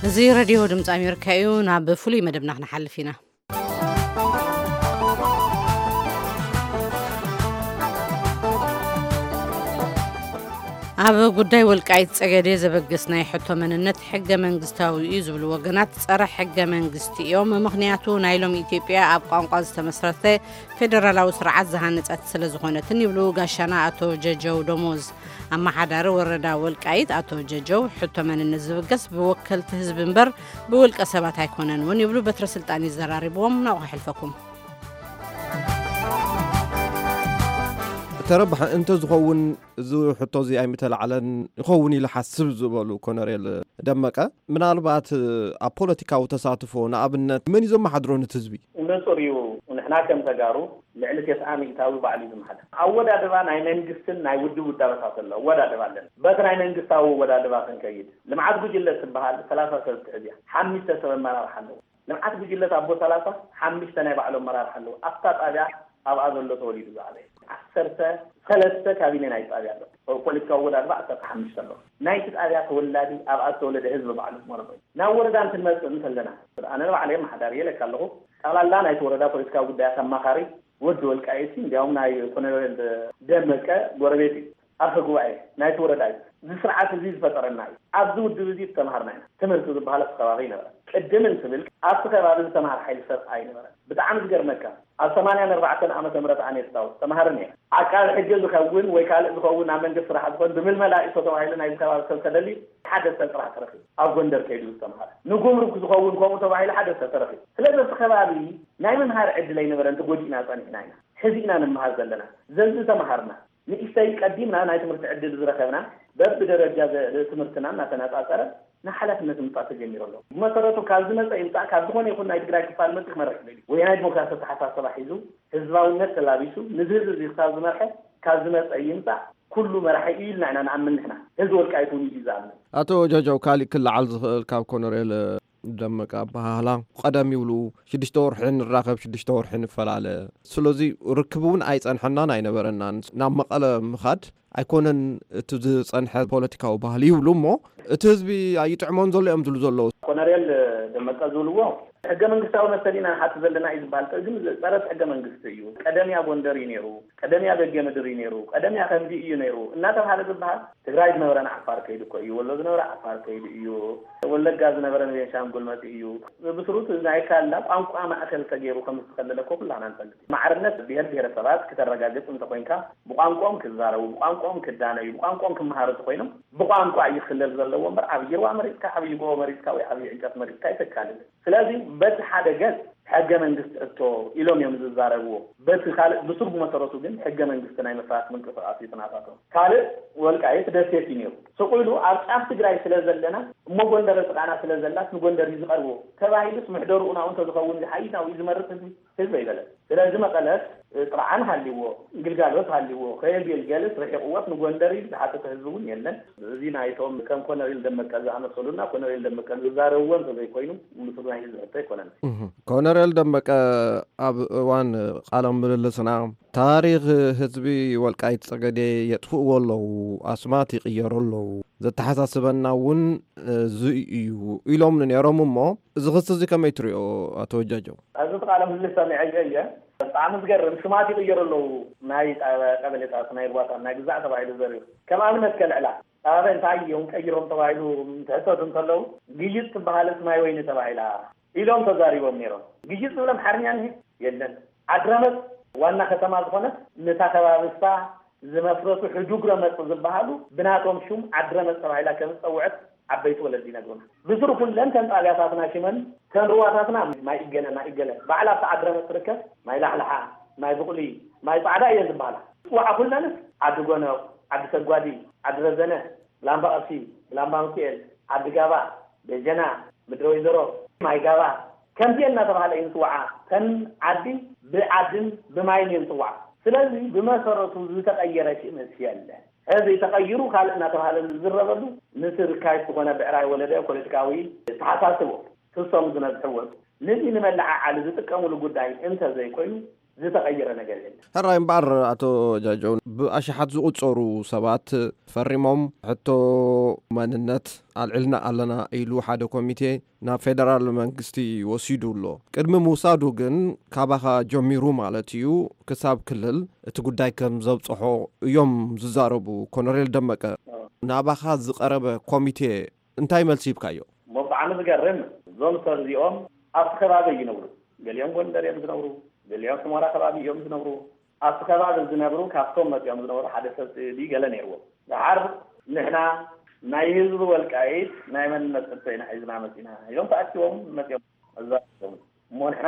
እዚ ሬድዮ ድምፂ ኣሜሪካ እዩ። ናብ ፍሉይ መደብና ክንሓልፍ ኢና። ኣብ ጉዳይ ወልቃይት ጸገዴ ዘበግስ ናይ ሕቶ መንነት ሕገ መንግስታዊ እዩ ዝብሉ ወገናት ጸረ ሕገ መንግስቲ እዮም። ምኽንያቱ ናይ ሎሚ ኢትዮጵያ ኣብ ቋንቋ ዝተመስረተ ፌደራላዊ ስርዓት ዝሃነጸት ስለ ዝኾነትን ይብሉ ጋሻና ኣቶ ጀጀው ደሞዝ። ኣመሓዳሪ ወረዳ ወልቃይት ኣቶ ጀጀው፣ ሕቶ መንነት ዝብገስ ብወከልቲ ህዝቢ እምበር ብውልቀ ሰባት ኣይኮነን እውን ይብሉ። በትረ ስልጣን ይዘራርብዎም። ናብኡ ከሕልፈኩም። ተረባሕ እንተ ዝኸውን እዚ ሕቶ እዚ ኣይምተላዕለን ይኸውን ኢለ ሓስብ ዝበሉ ኮነሬል ደመቀ፣ ምናልባት ኣብ ፖለቲካዊ ተሳትፎ ንኣብነት መን እዩ ዘመሓድሮ ነቲ ህዝቢ? ንጹር እዩ። ንሕና ከም ተጋሩ ልዕሊ ተስዓ ሚእታዊ ባዕሉ እዩ ዝመሓደር። ኣወዳድባ ናይ መንግስትን ናይ ውድብ ውዳበታት ኣሎ። ኣወዳድባ ኣለና። በቲ ናይ መንግስታዊ ኣወዳድባ ክንከይድ፣ ልምዓት ጉጅለ ትበሃል ሰላሳ ሰብ ትሕዝ እያ። ሓሙሽተ ሰብ ኣመራርሓ ኣለዎ። ልምዓት ጉጅለት ኣቦ ሰላሳ ሓሙሽተ ናይ ባዕሎም ኣመራርሓ ኣለዎ። ኣብታ ጣብያ ኣብኣ ዘሎ ተወሊዱ ዝዓበየ ዓሰርተ ሰለስተ ካቢነ ናይ ጣብያ ኣሎ። ፖለቲካዊ ኣወዳድባ ዓሰርተ ሓሙሽተ ኣሎ። ናይቲ ጣብያ ተወላዲ ኣብኣ ዝተወለደ ህዝቢ ባዕሉ መረበ። ናብ ወረዳ እንትንመፅእ እንተለና ኣነ ንባዕለይ ኣመሓዳሪ እየ ኢለካ ኣለኹ። ጠቕላላ ናይቲ ወረዳ ፖለቲካዊ ጉዳያት ኣማኻሪ ወዲ ወልቃይት እንዲያውም ናይ ኮሎኔል ደመቀ ጎረቤት እዩ። ኣፈ ጉባኤ ናይቲ ወረዳ እዩ። እዚ ስርዓት እዚ ዝፈጠረና እዩ። ኣብዚ ውድብ እዚ ዝተምሃርና ኢና። ትምህርቲ ዝበሃል ኣብቲ ከባቢ ኣይነበረን። ቅድም እንትብል ኣብቲ ከባቢ ዝተምሃር ሓይሊ ሰብ ኣይነበረን። ብጣዕሚ ዝገርመካ ኣብ ሰማንያን ኣርባዕተን ዓመተ ምህረት ኣነ የስታውስ ተምሃሪ ነይረ። ዓቃቢ ሕጊ ዝኸውን ወይ ካልእ ዝኸውን ኣብ መንግስቲ ስራሕ ዝኾን ብምልመላ እቶ ተባሂሉ ናይዚ ከባቢ ሰብ ተደልዩ ሓደ ሰብ ጥራሕ ተረኺቡ። ኣብ ጎንደር ከይዱ ዝተምሃረ። ንጉምሩክ ዝኸውን ከምኡ ተባሂሉ ሓደ ሰብ ተረኺቡ። ስለዚ ኣብቲ ከባቢ ናይ ምምሃር ዕድል ኣይነበረን። ተጎዲእና ጸኒሕና ኢና። ሕዚ ኢና ንምሃር ዘለና። ዘዚ ተምሃርና ንእሽተይ ቀዲምና ናይ ትምህርቲ ዕድል ዝረኸብና በብደረጃ ዘ- ትምህርትና እናተነጻጸረ ንሓላፍነት ምምጻእ ተጀሚሩ ኣሎ። ብመሰረቱ ካብ ዝመጸ ይምጻእ ካብ ዝኾነ ይኹን ናይ ትግራይ ክፋል መጽእ ክመርሕ ይደሊ ወይ ናይ ዲሞክራሲ ኣተሓሳሰባ ሒዙ ህዝባውነት ተላቢሱ ንዚ ህዝቢ እዚ ክሳብ ዝመርሐ ካብ ዝመጸ ይምጻእ ኩሉ መራሒ እዩ ኢልና ኢና ንኣምን ንሕና። ህዝቢ ወልቃይት እውን እዩ ዝኣምን። ኣቶ ጀጀው ካሊእ ክለዓል ዝኽእል ካብ ኮነሬል ደመቀ ኣበሃህላ ቀደም ይብሉ ሽዱሽተ ወርሒ ንራኸብ ሽዱሽተ ወርሒ ንፈላለ። ስለዚ ርክብ እውን ኣይጸንሐናን ኣይነበረናን። ናብ መቐለ ምኻድ ኣይኮነን እቲ ዝጸንሐ ፖለቲካዊ ባህሊ ይብሉ እሞ እቲ ህዝቢ ኣይጥዕሞን ዘሎ እዮም ዝብሉ ዘለዉ። ኮነሬል ደመቀ ዝብልዎ ሕገ መንግስታዊ መሰል ኢና ንሓት ዘለና እዩ ዝበሃል ግን ጸረ ሕገ መንግስቲ እዩ። ቀደም እያ ጎንደር እዩ ነይሩ፣ ቀደም እያ በጌ ምድር እዩ ነይሩ፣ ቀደም እያ ከምዚ እዩ ነይሩ እናተባሃለ ዝበሃል ትግራይ ዝነበረ ንዓፋር ከይዱ እኮ እዩ። ወሎ ዝነበረ ዓፋር ከይዱ እዩ። ወለጋ ዝነበረ ንቤንሻንጉል መፂኡ እዩ። ብስሩት ናይ ካላ ቋንቋ ማእከል ተገይሩ ከም ዝተኸለለ እኮ ኩላና ንፈልጥ። ማዕርነት ብሄር ብሄረሰባት ክተረጋግፅ እንተኮይንካ ብቋንቋኦም ክዛረቡ፣ ብቋንቋኦም ክዳነዩ፣ ብቋንቋኦም ክመሃሩ እንተኮይኖም ብቋንቋ እዩ ክክለል ዘለዎ እምበር ዓብዪ ሩባ መሪፅካ፣ ዓብዪ ጎቦ መሪፅካ ወይ ዓብዪ ዕንጨት መሪፅካ ኣይተካልልን። ስለዚ በቲ ሓደ ገፅ ሕገ መንግስቲ እቶ ኢሎም እዮም ዝዛረብዎ። በቲ ካልእ ብሱር ብመሰረቱ ግን ሕገ መንግስቲ ናይ ምፍራስ ምንቅስቃስ እዩ ትናታቶም። ካልእ ወልቃይት ደሴት እዩ ነይሩ። ስቕ ኢሉ ኣብ ጫፍ ትግራይ ስለ ዘለና እሞ ጎንደር ጥቃና ስለ ዘላስ ንጎንደር እዩ ዝቐርቦ ተባሂሉስ ምሕደርኡ ናብኡ እንተዝኸውን ሓይሽ ናብኡ እዩ ዝመርፅ ህዝቢ ህዝቢ ኣይበለን። ስለዚ መቐለስ ጥርዓን ሃልይዎ ግልጋሎት ሃልይዎ ከየገልገልስ ርሒቕዎስ ንጎንደር እዩ ዝሓተተ ህዝቢ እውን የለን። እዚ ናይቶም ከም ኮነሬል ደመቀ ዝኣመሰሉና ኮነሬል ደመቀ ዝዛረብዎ እንተዘይኮይኑ ምስሉ ናይ ህዝቢ ሕቶ ኣይኮነን። ኮነሬል ደመቀ ኣብ እዋን ቃለ ምልልስና ታሪኽ ህዝቢ ወልቃይት ጸገዴ የጥፍእዎ ኣለዉ፣ ኣስማት ይቕየሩ ኣለዉ፣ ዘተሓሳስበና እውን እዚ እዩ ኢሎምኒ ነይሮም። እሞ እዚ ክሲ እዚ ከመይ ትሪኦ ኣቶ ጀጀው? ኣብዚ ቃለ ምልልስ ሰሚዐዮ እየ። ብጣዕሚ ዝገርም፣ ስማት ይቕየሩ ኣለዉ። ናይ ቀበሌታት፣ ናይ ሩባታት፣ ናይ ግዛዕ ተባሂሉ ዘርዩ። ከም ኣብነት ከልዕላ፣ ኣበ እንታይ እዮም ቀይሮም ተባሂሉ ትሕተቱ እንተለዉ፣ ግይጥ ትበሃልስ ማይ ወይኒ ተባሂላ ኢሎም ተዛሪቦም ነይሮም። ግይጥ ዝብል ኣምሓርኛ እንሄ የለን። ዓድረመፅ ዋና ከተማ ዝኾነት፣ ነታ ከባቢ እሳ ዝመስረቱ ሕዱግ ረመፅ ዝበሃሉ ብናቶም ሹም ዓድረመፅ ተባሂላ ከም ዝፀውዐት ዓበይቲ ወለዲ ይነግሩና። ብስሩ ኩለን ተን ጣብያታትና ሽመን፣ ተን ሩዋታትና ማይ እገለ፣ ማይ እገለ፣ ባዕላ ኣብታ ዓድረመፅ ትርከብ ማይ ላሕልሓ፣ ማይ ብቑሊ፣ ማይ ፃዕዳ እየን ዝበሃላ። ፅዋዓ ኩለንስ ዓዲ ጎነቕ፣ ዓዲ ሰጓዲ፣ ዓዲ ረዘነ፣ ብላምባ ቀሺ፣ ብላምባ ሚካኤል፣ ዓዲ ጋባ፣ ደጀና፣ ምድረ ወይዘሮ፣ ማይ ጋባ፣ ከምዚኤን እናተባሃለ እዩ ዝፅዋዓ። ተን ዓዲ ብዓድን ብማይን እየን ዝፅዋዓ። ስለዚ ብመሰረቱ ዝተቐየረ ሽምስ የለን። ሕዚ ተቐይሩ ካልእ እናተባሃለ ዝዝረበሉ፣ ምስ ርካሽ ዝኾነ ብዕራይ ወለደ ፖለቲካዊ ተሓሳስቦ ክሶም ዝነዝሕዎ፣ ነዚ ንመለዓዓሊ ዝጥቀሙሉ ጉዳይ እንተዘይኮይኑ ዝተቐየረ ነገር የለን። ሕራይ እምበኣር፣ ኣቶ ጃጀው፣ ብኣሽሓት ዝቑጸሩ ሰባት ፈሪሞም ሕቶ መንነት ኣልዕልና ኣለና ኢሉ ሓደ ኮሚቴ ናብ ፌደራል መንግስቲ ወሲዱ ኣሎ። ቅድሚ ምውሳዱ ግን፣ ካባኻ ጀሚሩ ማለት እዩ፣ ክሳብ ክልል እቲ ጉዳይ ከም ዘብጽሖ እዮም ዝዛረቡ። ኮሎኔል ደመቀ፣ ናባኻ ዝቐረበ ኮሚቴ እንታይ መልሲ ሂብካዮ? እሞ ብጣዕሚ ዝገርም፣ እዞም ሰብ እዚኦም ኣብቲ ከባቢ ይነብሩ። ገሊኦም ጎንደር እዮም ዝነብሩ፣ ገሊኦም ሕሞራ ከባቢ እዮም ዝነብሩ። ኣብቲ ከባቢ ዝነብሩ፣ ካብቶም መፂኦም ዝነበሩ ሓደ ሰብ ስእሊ ገለ ነይርዎም። ደሓር ንሕና ናይ ህዝቢ ወልቃይት ናይ መንነት ሕቶ ኢና ሒዝና መፂና ኢሎም ተኣኪቦም መፂኦም። እዛ እሞ ንሕና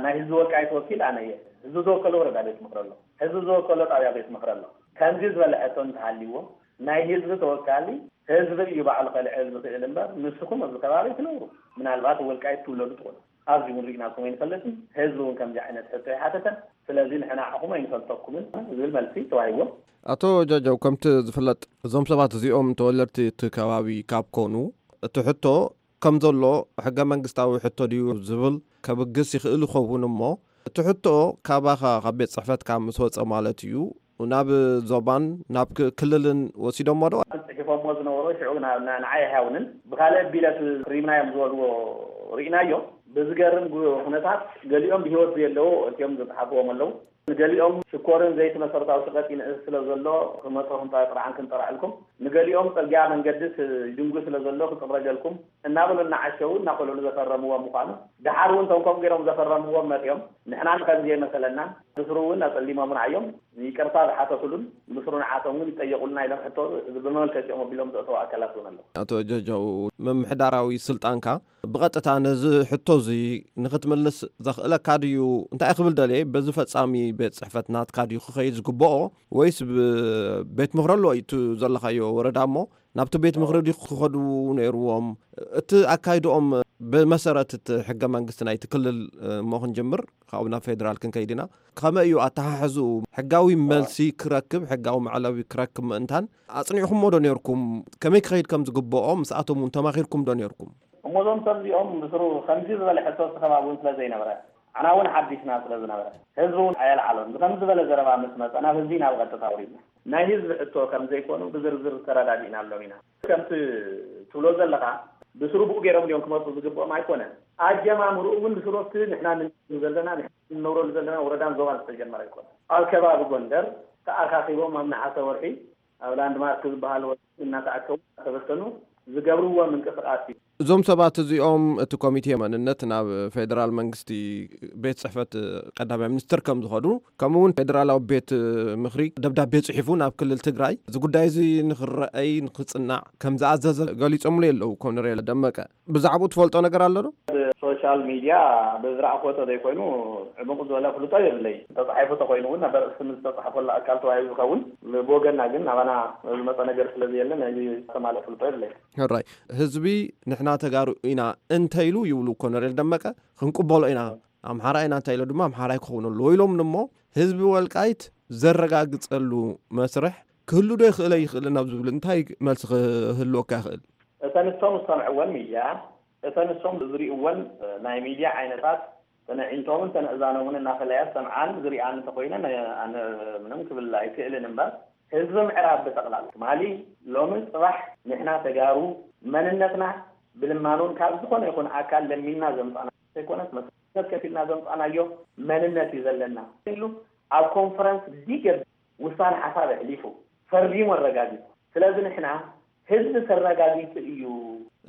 ናይ ህዝቢ ወልቃይት ወኪል ኣነ እየ። ህዝቢ ዝወከሎ ወረዳ ቤት ምኽሪ ኣሎ፣ ህዝቢ ዝወከሎ ጣብያ ቤት ምኽሪ ኣሎ። ከምዚ ዝበለ ሕቶ እንተሃልይዎ፣ ናይ ህዝቢ ተወካሊ ህዝቢ እዩ ባዕሉ ከልዕል ዝኽእል እምበር፣ ንስኹም ኣብዚ ከባቢ ትነብሩ፣ ምናልባት ወልቃይት ትውለዱ ትኾኑ። ኣብዚ እውን ርኢናኩም ኣይንፈልጥን። ህዝቢ እውን ከምዚ ዓይነት ሕቶ ኣይሓተተን። ስለዚ ንሕና ንዓኹም ኣይንፈልጠኩምን ዝብል መልሲ ተዋሂብዎም። ኣቶ ጃጀው፣ ከምቲ ዝፍለጥ፣ እዞም ሰባት እዚኦም ተወለድቲ እቲ ከባቢ ካብ ኮኑ፣ እቲ ሕቶ ከም ዘሎ ሕገ መንግስታዊ ሕቶ ድዩ ዝብል ከብግስ ይኽእል ይኸውን እሞ፣ እቲ ሕቶ ካባኻ ካብ ቤት ጽሕፈትካ ምስ ወጸ ማለት እዩ፣ ናብ ዞባን ናብ ክ-፣ ክልልን ወሲዶሞ ዶ? ጽሒፎሞ ዝነበሩ ሽዑ ና-፣ ና-፣ ንዓይ ኣይሃውንን፣ ብኻልእ ቢለ ክሪምና እዮም ዝበልዎ ርኢናዮ። ብዝገርም ጉ-፣ ኩነታት፣ ገሊኦም ብህይወት ዘየለዉ እቲኦም ዝጸሓፍዎም ኣለዉ። ንገሊኦም ሽኮርን ዘይቲ መሰረታዊ ሸቐጥ ይንእስ ስለ ዘሎ፣ ክመጾ ክንጠ-፣ ጥርዓን ክንጠርዐልኩም፣ ንገሊኦም ጽርግያ መንገድስ ይድንጉ ስለ ዘሎ ክጽረገልኩም እናበሉ እናዓሸዉ እናኾለሉ ዘፈረምዎም ምዃኑ፣ ደሓር እውን እቶም ከምኡ ገይሮም ዘፈረምዎም መጺኦም፣ ንሕና ንኸምዚ የመሰለና፣ ብስሩ እውን ኣጸሊሞምና እዮም፣ ይቅርታ ዝሓተቱሉን ብስሩ ንዓቶም እውን ይጠየቁልና ኢሎም ሕቶ ብመመልከቲኦም ኣቢሎም ዘእተዉ ኣካላት እውን ኣለዉ። ኣቶ ጀጀው፣ ምምሕዳራዊ ስልጣንካ ብቐጥታ ነዚ ሕቶ እዚ ንኽትምልስ ዘኽእለካ ድዩ? እንታይ ክብል ደልየ፣ በዚ ፈጻሚ ቤት ጽሕፈት ናትካ ድዩ ክኸይድ ዝግብኦ፣ ወይስ ብ-፣ ቤት ምኽሪ ኣሎ እቲ ዘለኻዮ ወረዳ እሞ ናብቲ ቤት ምኽሪ ድዩ ክኸዱ ነይርዎም? እቲ ኣካይድኦም ብመሰረት እቲ ሕገ መንግስቲ ናይቲ ክልል እሞ ክንጅምር፣ ካብኡ ናብ ፌደራል ክንከይድ ኢና። ከመይ እዩ ኣተሓሕዝኡ? ሕጋዊ መልሲ ክረክብ፣ ሕጋዊ መዕለቢ ክረክብ ምእንታን ኣጽኒዕኩሞ ዶ ነይርኩም? ከመይ ክኸይድ ከም ዝግብኦ ምስኣቶም እውን ተማኺርኩም ዶ ነይርኩም? እሞ እዞም ሰብ እዚኦም ብስሩ ከምዚ ዝበለ ሕቶ እቲ ከባቢ እውን ስለ ዘይነበረ፣ ዓና እውን ሓዲሽና ስለ ዝነበረ፣ ህዝቢ እውን ኣየልዓሎን። ብከምዚ ዝበለ ዘረባ ምስ መጸ፣ ናብ ህዝቢ ኢና ብቐጥታ ኣውሪድና። ናይ ህዝቢ ሕቶ ከም ዘይኮኑ ብዝርዝር ተረዳዲእናሎም ኢና። ከምቲ ትብሎ ዘለኻ፣ ብስሩ ብኡ ገይሮም ድዮም ክመጹ ዝግብኦም? ኣይኮነን። ኣጀማምርኡ እውን ብስሩ ኣብቲ ንሕና ንነብረሉ ዘለና፣ ንሕና ንነብረሉ ዘለና ወረዳን ዞባን ዝተጀመረ ኣይኮነን። ኣብ ከባቢ ጎንደር ተኣኻኺቦም ኣብ ነሓሰ ወርሒ ኣብ ላንድማርክ ዝበሃል ወረዳ እናተኣከቡ እናተበተኑ ዝገብርዎ ምንቅስቓስ እዩ። እዞም ሰባት እዚኦም፣ እቲ ኮሚቴ መንነት ናብ ፌደራል መንግስቲ ቤት ጽሕፈት ቀዳማይ ሚኒስትር ከም ዝኸዱ፣ ከምኡ እውን ፌደራላዊ ቤት ምኽሪ ደብዳቤ ጽሒፉ ናብ ክልል ትግራይ እዚ ጉዳይ እዚ ንኽረኣይ፣ ንኽጽናዕ ከም ዝኣዘዘ ገሊጾምሉ የለዉ ኮሎኔል ደመቀ። ብዛዕባኡ ትፈልጦ ነገር ኣሎ ዶ? ብሶሻል ሚድያ ብዝረኣኽዎ ተዘይኮይኑ፣ ዕሙቕ ዝበለ ፍልጦ የብለይ። ተጻሒፉ ተኾይኑ እውን፣ ናብ ስም ዝተጻሕፈሉ ኣካል ተዋሂቡ ዝኸውን፣ ብወገንና ግን ናባና ዝመጸ ነገር ስለ ዘየለ፣ ናይዚ ዝተማልአ ፍልጦ የብለይ። ሕራይ፣ ህዝቢ ንሕና ተጋሩ ኢና እንተኢሉ ይብሉ ኮሎኔል ደመቀ፣ ክንቅበሎ ኢና፣ ኣምሓራ ኢና እንተኢሉ ድማ ኣምሓራይ ክኸውን ኣለዎ ኢሎም እሞ፣ ህዝቢ ወልቃይት ዘረጋግጸሉ መስርሕ ክህሉ ዶ ይኽእል ኣይኽእልን ኣብ ዝብል እንታይ መልሲ ክህልወካ ይኽእል? እተን ንሶም ዝሰምዕወን ሚድያ፣ እተን ንሶም ዝሪእወን ናይ ሚድያ ዓይነታት፣ ተነዒንቶምን ተነእዛኖምን እናፈለያ ዝሰምዓን ዝሪኣን እንተኾይነን፣ ኣነ ምንም ክብል ኣይክእልን እምበር፣ ህዝቢ ምዕራብ ብጠቕላላ ትማሊ፣ ሎምን ጽባሕ ንሕና ተጋሩ መንነትና ብልማኖን ካብ ዝኾነ ይኹን ኣካል ለሚንና ዘምጻና ዘይኮነስ፣ መስ-፣ ከፊልና ዘምፃናዮ መንነት እዩ ዘለና ኢሉ ኣብ ኮንፈረንስ ዲገብ ውሳነ ሓሳብ ኣሕሊፉ፣ ፈሪሙ፣ ኣረጋጊጹ። ስለዚ ንሕና ህዝቢ ተረጋጊጹ እዩ።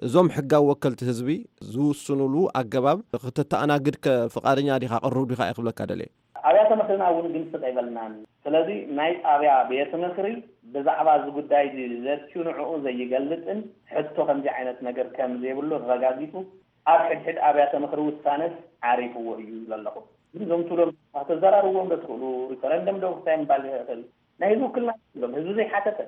እዞም ሕጋዊ ወከልቲ ህዝቢ ዝውስኑሉ ኣገባብ ክትተኣናግድ ከ ፍቓደኛ ዲኻ፣ ቅሩብ ዲኻ እየ ክብለካ ደልየ። ኣብያተ ምኽርና እውን ግን ስቕ ኣይበልናን። ስለዚ ናይ ጣብያ ቤት ምኽሪ ብዛዕባ እዚ ጉዳይ እዚ ዘትዩ ንዕኡ ዘይገልጽን ሕቶ ከምዚ ዓይነት ነገር ከም ዘይብሉ ኣረጋጊጹ ኣብ ሕድሕድ ኣብያተ ምኽሪ ውሳነስ ዓሪፍዎ እዩ ኢሉ ኣለኹ። ግን እዞም ትብሎም ተዘራርብዎም ዶ ትኽእሉ? ሪፈረንደም ዶ ክሳይ ምባል ይኽእል? ናይ ህዝቢ ውክልና የብሎም። ህዝቢ ዘይሓተተ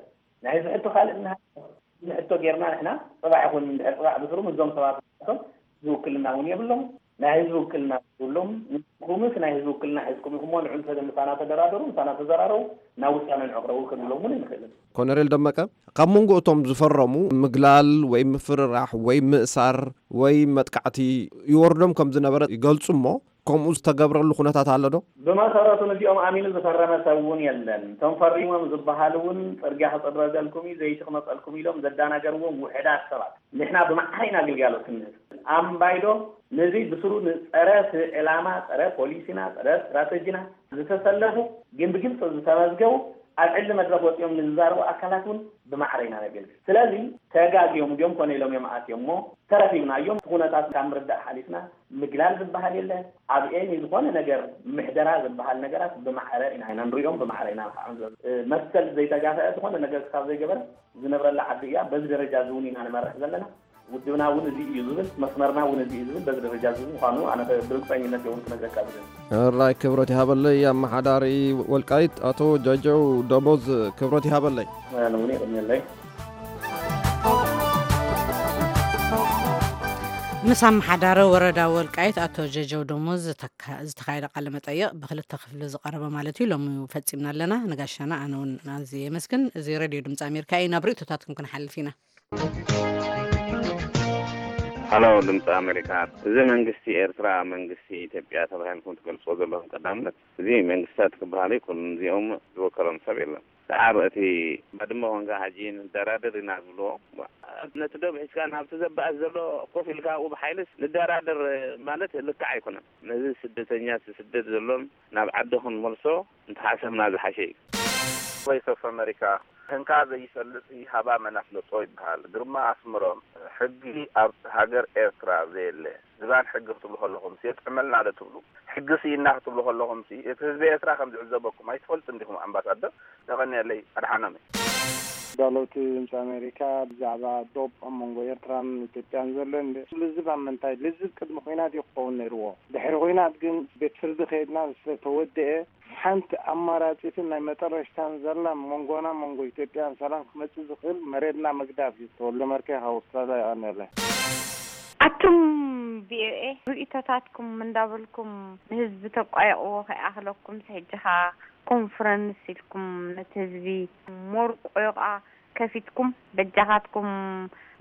ናይ ህዝቢ ሕቶ ካልእ እናሃለወ ህዝቢ ሕቶ ጌርና ንሕና ጽባሕ ይኹን እንድሕር ጽባሕ ብስሩ ምስዞም ሰባት ንሳቶም ህዝቢ ውክልና እውን የብሎም። ናይ ህዝቢ ውክልና የብሎም። ንስኹምስ ናይ ህዝቢ ውክልና ሒዝኩም ኢኹም እሞ ንዑ ምሳና ተደራደሩ፣ ምሳና ተዘራረቡ፣ ናብ ውሳነ ንዕቕረቡ ክንብሎም እውን ኣይንኽእልን። ኮነሬል ደመቀ፣ ካብ መንጎ እቶም ዝፈረሙ ምግላል ወይ ምፍርራሕ ወይ ምእሳር ወይ መጥቃዕቲ ይወርዶም ከም ዝነበረ ይገልጹ እሞ፣ ከምኡ ዝተገብረሉ ኩነታት ኣሎ ዶ? ብመሰረቱ ነዚኦም ኣሚኑ ዝፈረመ ሰብ እውን የለን። እቶም ፈሪሞም ዝበሃሉ እውን ጽርግያ ክጽረገልኩም እዩ፣ ዘይቲ ክመጸልኩም ኢሎም ዘዳናገርዎም ውሕዳት ሰባት። ንሕና ብማዕረ ኢና ግልጋሎት ክንህብ። ኣምባይዶ ነዚ ብስሩ ንጸረ ዕላማ፣ ጸረ ፖሊሲና፣ ጸረ ስትራተጂና ዝተሰለፉ ግን ብግልጺ ዝተመዝገቡ ኣብ ዕሊ መድረኽ ወጺኦም ንዝዛረቡ ኣካላት እውን ብማዕረ ኢና ነገልግል። ስለዚ ተጋግዮም ድዮም ኮነ ኢሎም እዮም ኣትዮም እሞ ተረኺብናዮም። እቲ ኩነታት ካብ ምርዳእ ሓሊፍና ምግላል ዝበሃል የለ። ኣብ ኤኒ ዝኾነ ነገር ምሕደራ ዝበሃል ነገራት ብማዕረ ኢና፣ ኢና ንሪኦም፣ ብማዕረ ኢና ንኸዓ ንዘ-፣ መሰል ዘይተጋፈአ ዝኾነ ነገር ክሳብ ዘይገበረ ዝነብረላ ዓዲ እያ። በዚ ደረጃ እዚ እውን ኢና ንመርሕ ዘለና። ውድብና እውን እዚ እዩ ዝብል፣ መስመርና እውን እዚ እዩ ዝብል፣ በዚ ደረጃ እዚ ምዃኑ ኣነ ብርግጸኝነት እውን ክነግረካ ዝደሊ። ሕራይ ክብረት ይሃበለይ ኣመሓዳሪ ወልቃይት ኣቶ ጃጀው ደሞዝ ክብረት ይሃበለይ። ኣነ እውን የቐንየለይ። ምስ ኣመሓዳሪ ወረዳ ወልቃይት ኣቶ ጀጀው ደሞዝ ዝተካ-፣ ዝተኻየደ ቃለ መጠይቕ ብክልተ ክፍሊ ዝቐረበ ማለት እዩ። ሎሚ ፈጺምና ኣለና። ንጋሻና ኣነ እውን ኣዝየ የመስግን። እዚ ሬድዮ ድምፂ ኣሜሪካ እዩ። ናብ ርእይቶታትኩም ክንሓልፍ ኢና። ሃሎ ድምፂ ኣሜሪካ፣ እዚ መንግስቲ ኤርትራ መንግስቲ ኢትዮጵያ ተባሂልኩም ትገልፅዎ ዘለኹም ቀዳምነት፣ እዚ መንግስታት ክበሃሉ ይክእሉ፣ እዚኦም ዝወከሎም ሰብ የለን። ሰዓብ እቲ ባድመ ኮንካ ሕጂ ንደራደር ኢና ዝብልዎ፣ ነቲ ዶብ ሒዝካ ናብቲ ዘባእስ ዘሎ ኮፍ ኢልካ ኣብኡ ብሓይልስ ንደራደር ማለት ልክዕ ኣይኮነን። ነዚ ስደተኛ ስደት ዘሎን ናብ ዓዲ ክንመልሶ እንተሓሰብና ዝሓሸ እዩ። ቮይስ ኦፍ ኣሜሪካ፣ ህንካ ዘይፈልጥ ሃባ መን ኣፍለጦ ይበሃል። ግርማ ኣስመሮም፣ ሕጊ ኣብ ሃገር ኤርትራ ዘየለ፣ ዝባን ሕጊ ክትብሉ ከለኹምሲ የጥዕመልና ዶ ትብሉ? ሕጊ ስኢና ክትብሉ ከለኹምሲ፣ እቲ ህዝቢ ኤርትራ ከም ዝዕዘበኩም ኣይትፈልጡን ዲኹም ኣምባሳደር? የቐንየለይ፣ ኣድሓኖም እየ። ዳለውቲ ድምፂ ኣሜሪካ፣ ብዛዕባ ዶብ ኣብ መንጎ ኤርትራን ኢትዮጵያን ዘሎ እንደ-፣ ልዝብ ኣብ ምንታይ? ልዝብ ቅድሚ ኲናት እዩ ክኸውን ነይርዎ። ድሕሪ ኲናት ግን ቤት ፍርዲ ከይድና ዝተወደኤ ሓንቲ ኣማራጺትን ናይ መጠረሽታን ዘላ መንጎና መንጎ ኢትዮጵያን ሰላም ክመጽእ ዝኽእል መሬትና ምግዳፍ እዩ። ተወልደ መርኬ ካብ ኣውስትራልያ የቐንየለይ። ኣቱም ቪኦኤ ርእይቶታትኩም እንዳበልኩም ንህዝቢ ተቋየቕዎ ከይኣኽለኩም ሕጂ ኸኣ ኮንፈረንስ ኢልኩም ነቲ ህዝቢ ሞርቆ ከፊትኩም በጃኻትኩም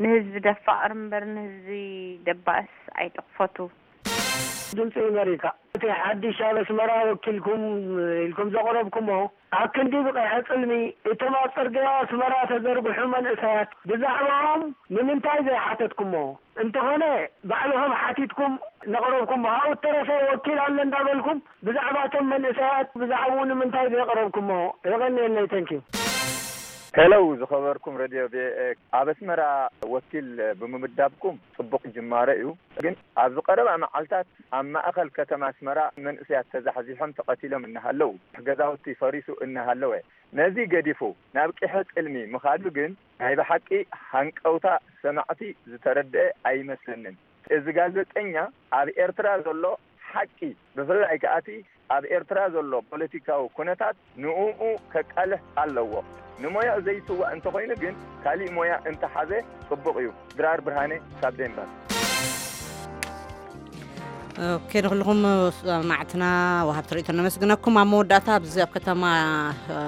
ንህዝቢ ደፋቕር እምበር ንህዝቢ ደባእስ ኣይትኽፈቱ። ድምፂ ኣሜሪካ፣ እቲ ሓድሽ ኣብ ኣስመራ ወኪልኩም ኢልኩም ዘቕረብኩሞ ኣብ ክንዲ ብቐይሐ ጽልሚ እቶም ኣብ ጽርግያ ኣስመራ ተዘርግሑ መንእሰያት ብዛዕባኦም ንምንታይ ዘይሓተትኩሞ? እንተኾነ ባዕልኹም ሓቲትኩም ነቕረብኩሞ፣ ኣብኡ እተረፈ ወኪል ኣለ እንዳበልኩም ብዛዕባ እቶም መንእሰያት ብዛዕባኡ ንምንታይ ዘየቕረብኩሞ? የቐንየለይ። ተንኪዩ። ሄሎ ዝኸበርኩም ሬድዮ ቪኦኤ፣ ኣብ ኣስመራ ወኪል ብምምዳብኩም ጽቡቕ ጅማሮ እዩ። ግን ኣብዚ ቀረባ መዓልታት ኣብ ማእኸል ከተማ ኣስመራ መንእሰያት ተዛሕዚሖም ተቐቲሎም እናሃለዉ፣ ገዛውቲ ፈሪሱ እናሃለወ፣ ነዚ ገዲፉ ናብ ቂሐ ጽልሚ ምኻዱ ግን ናይ ብሓቂ ሃንቀውታ ሰማዕቲ ዝተረድአ ኣይመስለንን። እዚ ጋዜጠኛ ኣብ ኤርትራ ዘሎ ሓቂ፣ ብፍላይ ከኣ እቲ ኣብ ኤርትራ ዘሎ ፖለቲካዊ ኩነታት ንእኡ ከቃልሕ ኣለዎ። ንሞያኡ ዘይስዋእ እንተኾይኑ ግን ካሊእ ሞያ እንተሓዘ ጽቡቕ እዩ። ድራር ብርሃነ ካብ ዴንማርክ። ኦኬ፣ ንኹልኹም ሰማዕትና ወሃብቲ ርእይቶ ነመስግነኩም። ኣብ መወዳእታ ኣብዚ ኣብ ከተማ፣ እ፣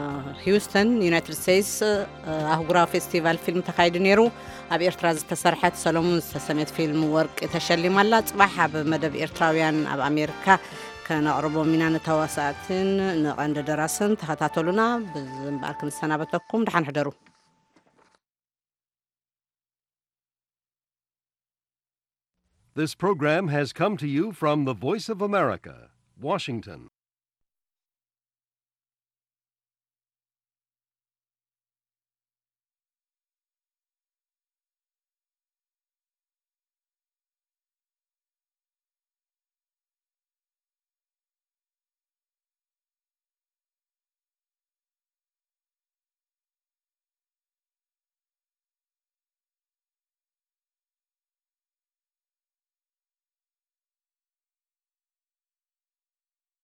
ሂውስተን ዩናይትድ ስቴትስ፣ እ፣ ኣህጉራዊ ፌስቲቫል ፊልም ተኻይዱ ነይሩ። ኣብ ኤርትራ ዝተሰርሐት ሰሎሙን ዝተሰምየት ፊልም ወርቂ ተሸሊማ ኣላ። ጽባሕ ኣብ መደብ ኤርትራውያን ኣብ ኣሜሪካ ከነቕርቦም ኢና። ንተዋሳእትን ንቐንዲ ደራስን ተኸታተሉና። ብዚ እምበኣር ክንሰናበተኩም፣ ደሓን ሕደሩ። This program has come to you from the Voice of America, Washington.